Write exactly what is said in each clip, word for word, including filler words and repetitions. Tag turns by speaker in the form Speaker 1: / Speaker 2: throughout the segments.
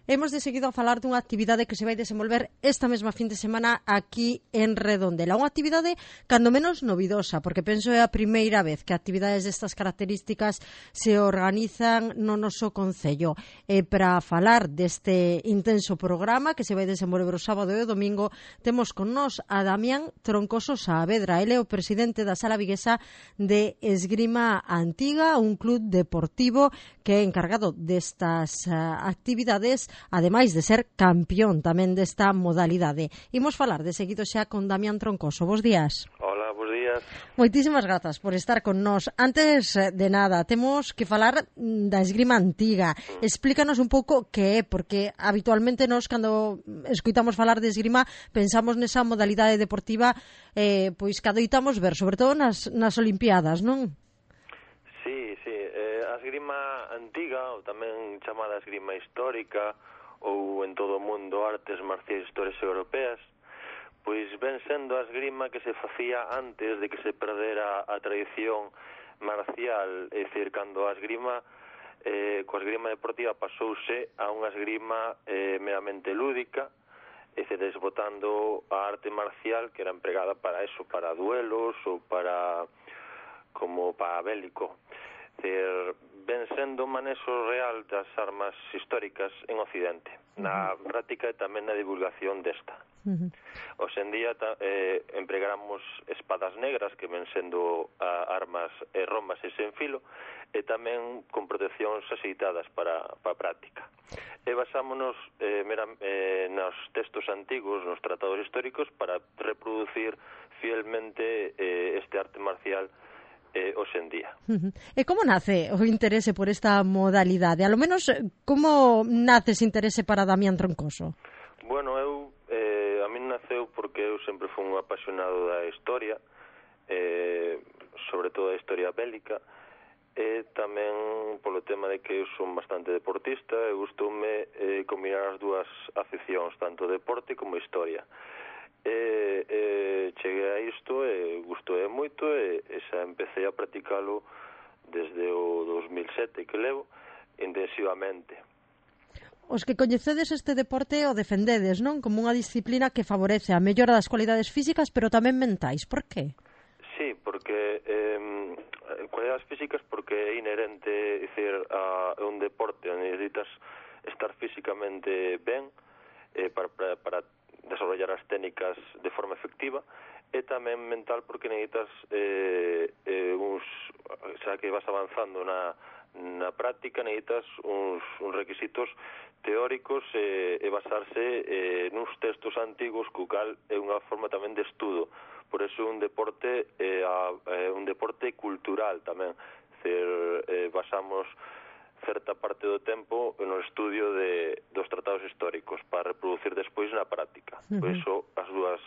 Speaker 1: Hemos de seguido a falar dunha actividade que se vai desenvolver esta mesma fin de semana aquí en Redondela. Unha actividade cando menos novidosa, porque penso é a primeira vez que actividades destas características se organizan no noso concello. E para falar deste intenso programa que se vai desenvolver o sábado e o domingo, temos con nós a Damián Troncoso Saavedra. Ele é o presidente da Sala Viguesa de Esgrima Antiga, un club deportivo que é encargado destas uh, actividades, ademais de ser campeón tamén desta modalidade. Imos falar de seguido xa con Damián Troncoso. Bos días.
Speaker 2: Hola, bos días.
Speaker 1: Moitísimas grazas por estar con nós. Antes de nada, temos que falar da esgrima antiga. Mm. Explícanos un pouco que é, porque habitualmente nós, cando escoitamos falar de esgrima, pensamos nesa modalidade deportiva eh, pois que adoitamos ver, sobre todo nas, nas Olimpiadas, non?
Speaker 2: Sí, sí. Eh, a esgrima antiga, ou tamén chamada esgrima histórica, ou en todo o mundo artes marciais históricas europeas, pois ven sendo a esgrima que se facía antes de que se perdera a tradición marcial, é dicir, cando a esgrima, eh, coa esgrima deportiva pasouse a unha esgrima eh, meramente lúdica, é dicir, desbotando a arte marcial que era empregada para eso, para duelos ou para como para bélico. É dicir, ven sendo un manexo real das armas históricas en Occidente, na práctica e tamén na divulgación desta. Uh-huh. Hoxe en día eh, empregamos espadas negras que ven sendo a, armas e rombas e sen filo, e tamén con proteccións axeitadas para, para a práctica. E basámonos eh, mera, eh, nos textos antigos, nos tratados históricos, para reproducir fielmente eh, este arte marcial eh, hoxe en día.
Speaker 1: Uh-huh. E como nace o interese por esta modalidade? A lo menos, como nace ese interese para Damián Troncoso?
Speaker 2: Bueno, eu, eh, a min naceu porque eu sempre fui un apasionado da historia, eh, sobre todo da historia bélica, e tamén polo tema de que eu son bastante deportista e gustoume eh, combinar as dúas aficións, tanto deporte como historia. E, e cheguei a isto e gustoume moito e, e xa empecé a practicalo desde o dos mil sete que levo intensivamente.
Speaker 1: Os que coñecedes este deporte o defendedes, non? Como unha disciplina que favorece a mellora das cualidades físicas pero tamén mentais. Por qué?
Speaker 2: Sí, porque eh, cualidades físicas porque é inherente, é dicir, a, a un deporte onde necesitas estar físicamente ben eh, para, para, para desarrollar as técnicas de forma efectiva, e tamén mental porque necesitas eh, eh, uns, xa que vas avanzando na, na práctica, necesitas uns, uns requisitos teóricos eh, e basarse eh, nuns textos antigos, co cal é unha forma tamén de estudo. Por eso é un deporte eh, a, eh, un deporte cultural tamén. Cer, eh, basamos certa parte do tempo no estudio de, dos tratados históricos para reproducir despois na práctica. Uh-huh. Por iso as dúas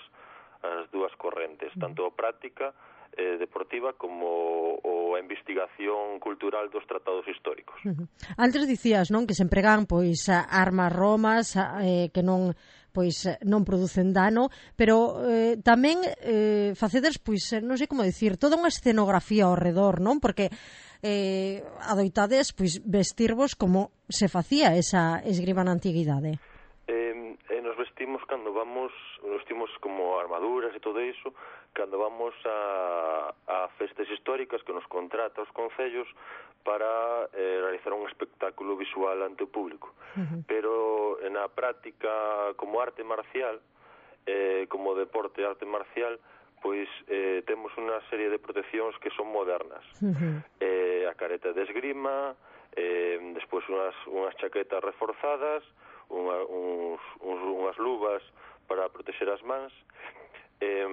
Speaker 2: as dúas correntes, tanto a práctica eh, deportiva como o a investigación cultural dos tratados históricos.
Speaker 1: Uh-huh. Antes dicías, non, que se empregan pois armas romas eh, que non pois non producen dano, pero eh, tamén eh, facedes, pois non sei como dicir, toda unha escenografía ao redor, non? Porque eh, adoitades pois vestirvos como se facía esa esgrima na antiguidade.
Speaker 2: Eh, eh, nos vestimos cando vamos, nos vestimos como armaduras e todo iso, cando vamos a, a festas históricas que nos contrata os concellos para eh, realizar un espectáculo visual ante o público. Uh-huh. Pero na práctica como arte marcial, eh, como deporte arte marcial, pois eh, temos unha serie de proteccións que son modernas. Uh-huh. Eh, a careta de esgrima, eh, despois unhas, unhas chaquetas reforzadas, unha, uns, uns, unhas luvas para proteger as mans. Eh,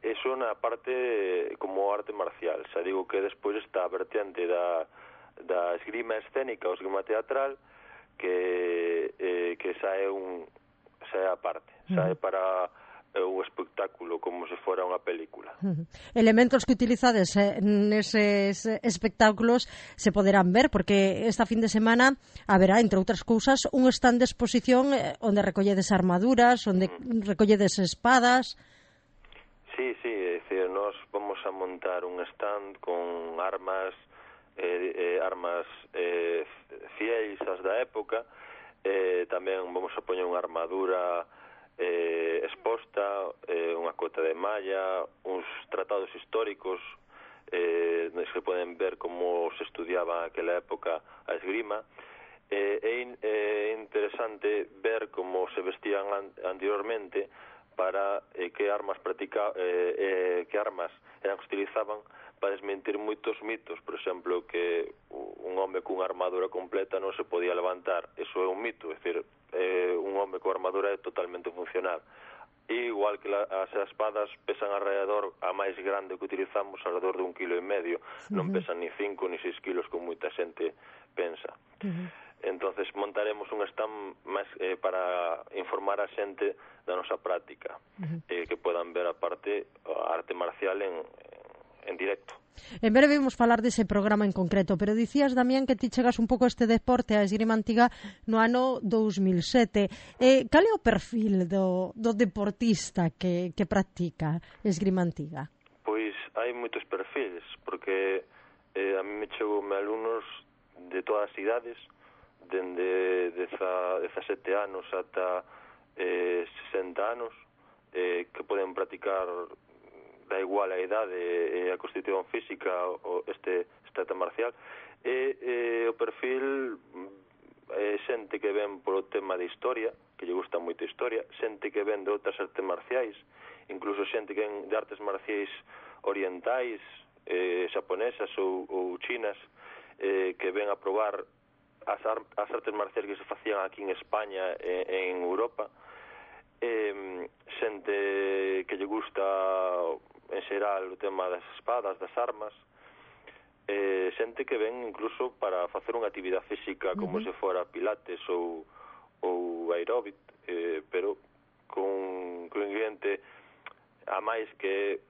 Speaker 2: eso na parte como arte marcial. Xa digo que despois está a vertente da, da esgrima escénica ou esgrima teatral que, eh, que xa é un xa é a parte, xa é para o espectáculo como se fora unha película.
Speaker 1: Uh-huh. Elementos que utilizades eh, neses espectáculos se poderán ver, porque esta fin de semana haberá, entre outras cousas, un stand de exposición eh, onde recolledes armaduras, onde uh-huh. recolledes espadas.
Speaker 2: Sí, sí, é dicir, nós vamos a montar un stand con armas eh, eh, armas eh, fieis as da época, eh, tamén vamos a poñer unha armadura eh, exposta, eh, unha cota de malla, uns tratados históricos eh, nos que poden ver como se estudiaba aquela época a esgrima. Eh, é in, eh, interesante ver como se vestían an, anteriormente para eh, que armas practica, eh, eh, que armas eran que se utilizaban para desmentir moitos mitos, por exemplo, que un home cunha armadura completa non se podía levantar. Eso é un mito, é dicir, eh, un home con armadura é totalmente funcional. E igual que la, as espadas pesan alrededor, a máis grande que utilizamos, alrededor de un kilo e medio, uh-huh. non pesan ni cinco ni seis kilos como moita xente pensa. Uh-huh. Entonces montaremos un stand máis eh, para informar a xente da nosa práctica, uh-huh. eh, que podan ver a parte a arte marcial en, en directo.
Speaker 1: En breve vimos falar dese programa en concreto, pero dicías, Damián, que ti chegas un pouco a este deporte, a esgrima antiga, no ano dous mil sete. Eh, cal é o perfil do, do deportista que, que practica esgrima antiga?
Speaker 2: Pois hai moitos perfiles, porque eh, a mí me chegou me alumnos de todas as idades, dende dezasete anos ata eh, sesenta anos, eh, que poden practicar, da igual a idade e a constitución física o este, este arte marcial. E eh, o perfil é eh, xente que ven polo tema de historia, que lle gusta moito a historia, xente que ven de outras artes marciais, incluso xente que ven de artes marciais orientais, eh, xaponesas ou, ou chinas, eh, que ven a probar as, ar- as artes marciais que se facían aquí en España e en Europa. Eh, xente que lle gusta en xeral o tema das espadas, das armas, eh, xente que ven incluso para facer unha actividade física como uh-huh. se fora pilates ou, ou aeróbic, eh, pero con, con ingrediente a máis que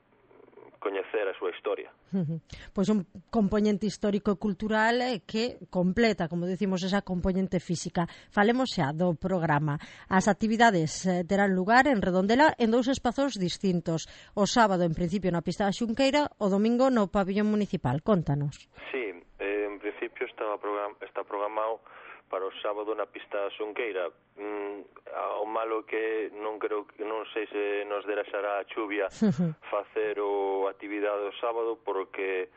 Speaker 2: coñecer a súa historia.
Speaker 1: Uh-huh. Pois un componente histórico e cultural que completa, como decimos, esa componente física. Falemos xa do programa. As actividades eh, terán lugar en Redondela en dous espazos distintos. O sábado, en principio, na pista da Xunqueira, o domingo no pabillón municipal. Contanos.
Speaker 2: Sí, eh, en principio estaba program- está programado para o sábado na pista da Xunqueira. Mm, o malo que non creo que non sei se nos derexará a chuvia facer o actividade do sábado, porque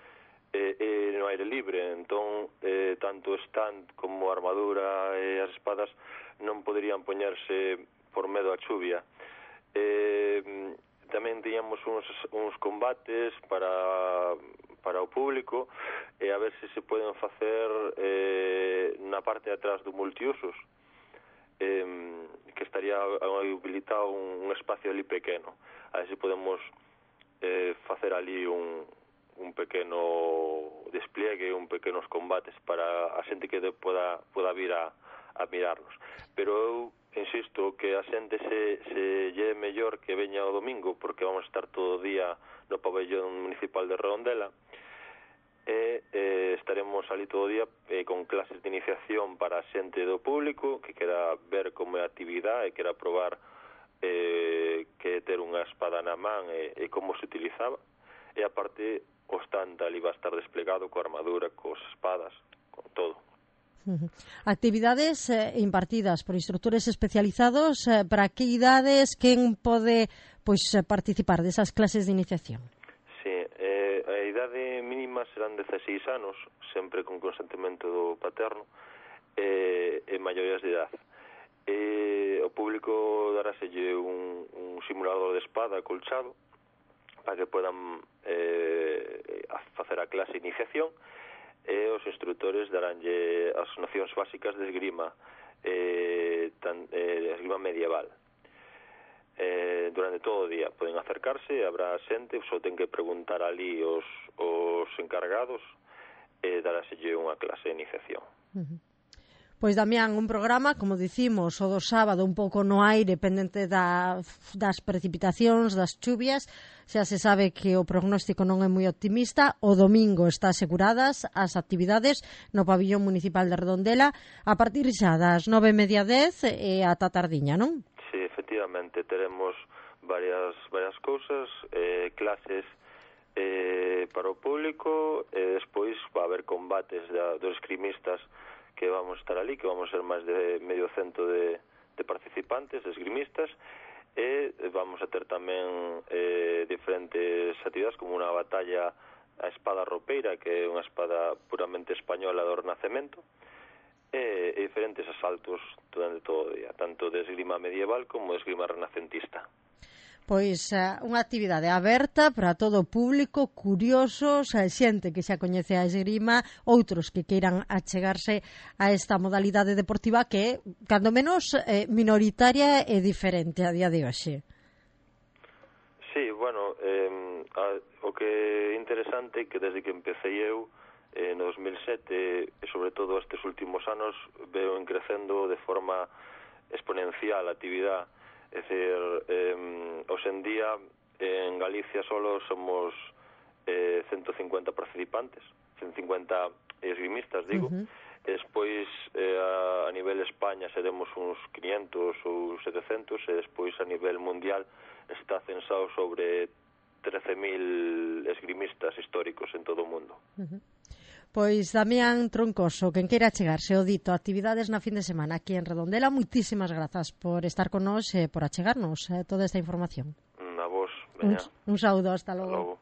Speaker 2: eh, é no aire libre, entón eh, tanto o stand como a armadura e as espadas non poderían poñerse por medo a chuvia. Eh, tamén tiñamos uns, uns combates para para o público, e a ver se se poden facer eh, na parte de atrás do multiusos, eh, que estaría habilitado un, un espacio ali pequeno. A ver se podemos eh, facer ali un, un pequeno despliegue, un pequenos combates para a xente que de poda, poda vir a, a mirarnos. Pero eu insisto que a xente se, se lle mellor que veña o domingo, porque vamos a estar todo o día no pabellón municipal de Redondela, e eh, estaremos ali todo o día eh, con clases de iniciación para a xente do público que quera ver como é a actividade e quera probar eh, que ter unha espada na man e, e como se utilizaba, e aparte o stand ali va a estar desplegado coa armadura, cos espadas, con todo.
Speaker 1: Uh-huh. Actividades eh, impartidas por instructores especializados, eh, para que idades, quen pode pois participar desas clases de iniciación?
Speaker 2: Sí, eh, a idade mínima serán dezaseis anos, sempre con consentimento do paterno, e, e maiorías de idade. E o público daráselle un, un simulador de espada acolchado para que podan eh, facer a clase de iniciación, e os instructores daránlle as nocións básicas de esgrima, eh, tan, eh, esgrima medieval. Eh, durante todo o día poden acercarse, habrá xente, só ten que preguntar ali os, os encargados e daráselle unha clase de iniciación.
Speaker 1: Uh-huh. Pois, Damián, un programa, como dicimos, o do sábado un pouco no aire, pendente da, das precipitacións, das chuvias. Xa se sabe que o prognóstico non é moi optimista. O domingo está aseguradas as actividades no pabillón municipal de Redondela a partir xa das nove e media dez e ata tardiña, non?
Speaker 2: Sí, efectivamente, teremos varias varias cousas, eh, clases eh, para o público, e despois va a haber combates da, dos esgrimistas que vamos a estar ali, que vamos a ser máis de medio cento de, de participantes, de esgrimistas, e vamos a ter tamén eh, diferentes actividades como unha batalla a espada ropeira, que é unha espada puramente española do Renacemento, e, e diferentes asaltos durante todo o día, tanto de esgrima medieval como de esgrima renacentista.
Speaker 1: Pois uh, unha actividade aberta para todo o público, curiosos, a xente que xa coñece a esgrima, outros que queiran achegarse a esta modalidade deportiva que é, cando menos, eh, minoritaria e diferente a día de hoxe.
Speaker 2: Sí, bueno, eh, a, o que é interesante é que desde que empecé eu eh, no dos mil sete e sobre todo estes últimos anos veo en crecendo de forma exponencial a actividade. É dicir, eh, hoxe en día en Galicia solo somos eh, ciento cincuenta participantes, ciento cincuenta esgrimistas, digo. Uh-huh. E despois eh, a, a nivel España seremos uns quinientos ou setecentos, e despois a nivel mundial está censado sobre trece mil esgrimistas históricos en todo o mundo.
Speaker 1: Uh-huh. Pois Damián Troncoso, quen queira chegarse o dito actividades na fin de semana aquí en Redondela, moitísimas grazas por estar con nós e por achegarnos eh, toda esta información.
Speaker 2: A vos, veña.
Speaker 1: Un, un saúdo, hasta logo.
Speaker 2: Hasta logo.